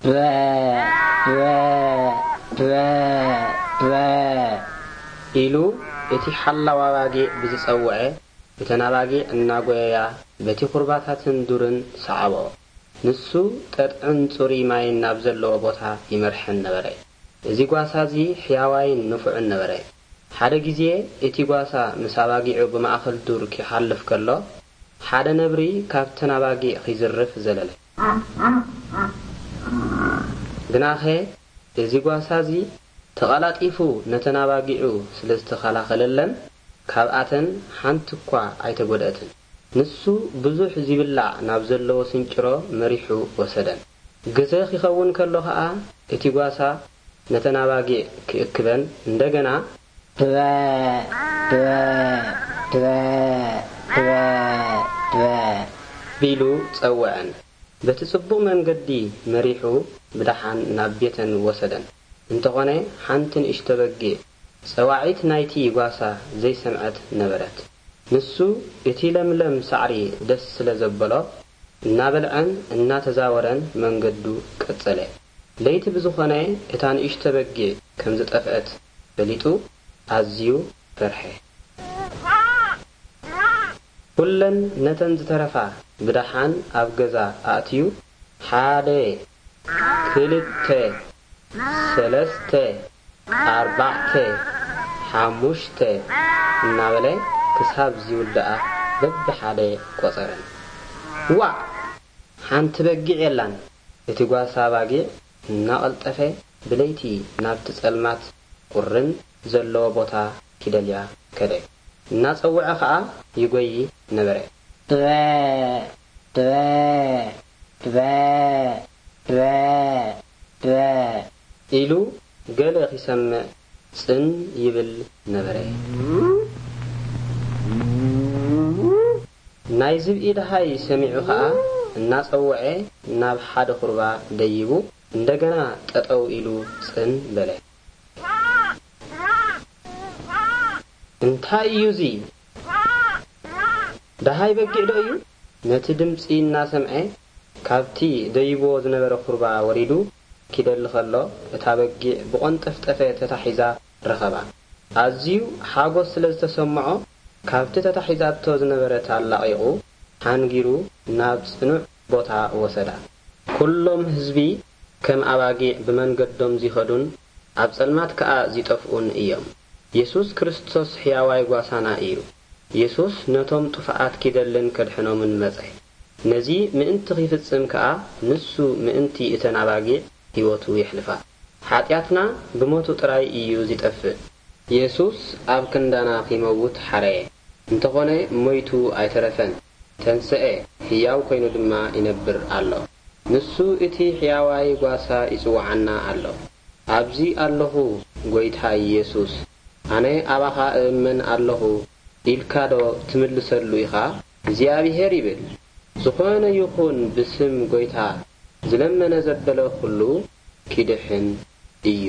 በ፣ በ፣ በ፣ በ ኢሉ እቲ ሓላው ኣባጊዕ ብዝጸውዐ፣ እተን ኣባጊዕ እናጎየያ በቲ ኹርባታትን ዱርን ሰዓብኦ። ንሱ ጠጥዕን ጽሩይ ማይን ናብ ዘለዎ ቦታ ይመርሐን ነበረ። እዚ ጓሳ እዚ ሕያዋይን ንፉዕን ነበረ። ሓደ ግዜ እቲ ጓሳ ምስ ኣባጊዑ ብማእከል ዱር ኪሓልፍ ከሎ፣ ሓደ ነብሪ ካብተን ኣባጊዕ ኺዝርፍ ዘለለ። ግናኸ እዚ ጓሳ እዚ ተቐላጢፉ ነተን ኣባጊዑ ስለ ዝተኸላኸለለን፣ ካብኣተን ሓንቲ እኳ ኣይተጎድአትን። ንሱ ብዙሕ ዚብላዕ ናብ ዘለዎ ስንጭሮ መሪሑ ወሰደን። ግዘ ኺኸውን ከሎ ኸኣ፣ እቲ ጓሳ ነተን ኣባጊዕ ኪእክበን እንደገና ትበ፣ ትበ፣ ትበ፣ ትበ፣ ትበ ቢሉ ጸውዐን። በቲ ጽቡቕ መንገዲ መሪሑ ብደሓን ናብ ቤተን ወሰደን። እንተኾነ፣ ሓንቲ ንእሽቶ በጊዕ ጸዋዒት ናይቲ ጓሳ ዘይሰምዐት ነበረት። ንሱ እቲ ለምለም ሳዕሪ ደስ ስለ ዘበሎ፣ እናበልዐን እናተዛወረን መንገዱ ቀጸለ። ለይቲ ብዝኾነ፣ እታ ንእሽቶ በጊዕ ከም ዝጠፍአት ፈሊጡ ኣዝዩ ፈርሐ። ኩለን ነተን ዝተረፋ ብደሓን ኣብ ገዛ ኣእትዩ፣ ሓደ፣ ክልተ፣ ሰለስተ፣ ኣርባዕተ፣ ሓሙሽተ እናበለ ክሳብ ዝውድኣ በብሓደ ቆጸረን። ዋእ! ሓንቲ በጊዕ የላን። እቲ ጓሳ ኣባጊዕ እናቐልጠፈ ብለይቲ ናብቲ ጸልማት ቁርን ዘለዎ ቦታ ኪደልያ ከደ። እናጸውዐ ኸኣ ይጎዪ ነበረ። ትበ፣ ትበ፣ ትበ፣ ትበ፣ ትበ ኢሉ ገለ ኺሰምዕ ጽን ይብል ነበረ። ናይ ዝብኢ ደሃይ ሰሚዑ ኸኣ እናጸውዐ ናብ ሓደ ኹርባ ደይቡ እንደገና ጠጠው ኢሉ ጽን በለ። እንታይ እዩ እዚ? ደሃይ በጊዕ ዶ እዩ? ነቲ ድምጺ እናሰምዐ፣ ካብቲ ደይብዎ ዝነበረ ኹርባ ወሪዱ ኪደሊ ኸሎ፣ እታ በጊዕ ብቖንጠፍጠፈ ተታሒዛ ረኸባ። ኣዝዩ ሓጎስ ስለ ዝተሰምዖ፣ ካብቲ ተታሒዛቶ ዝነበረት ኣላቒቑ፣ ሓንጊሩ ናብ ጽኑዕ ቦታ ወሰዳ። ኩሎም ህዝቢ ከም ኣባጊዕ ብመንገዶም ዚኸዱን ኣብ ጸልማት ከኣ ዚጠፍኡን እዮም። የሱስ ክርስቶስ ሕያዋይ ጓሳና እዩ። የሱስ ነቶም ጥፉኣት ኪደልን ከድሕኖምን መጸ። ነዚ ምእንቲ ኺፍጽም ከኣ፣ ንሱ ምእንቲ እተን ኣባጊዕ ህይወቱ የሕልፋ። ሓጢኣትና ብሞቱ ጥራይ እዩ ዚጠፍእ። የሱስ ኣብ ክንዳና ኺመውት ሓረየ። እንተኾነ፣ ሞይቱ ኣይተረፈን። ተንስኤ፣ ህያው ኮይኑ ድማ ይነብር ኣሎ። ንሱ እቲ ሕያዋይ ጓሳ ይጽውዓና ኣሎ። ኣብዚ ኣለኹ፣ ጐይታ የሱስ፣ ኣነ ኣባኻ እእመን ኣለኹ ኢልካዶ ትምልሰሉ ኢኻ? እግዚኣብሄር ይብል፣ ዝኾነ ይኹን ብስም ጐይታ ዝለመነ ዘበለ ኹሉ ኪድሕን እዩ።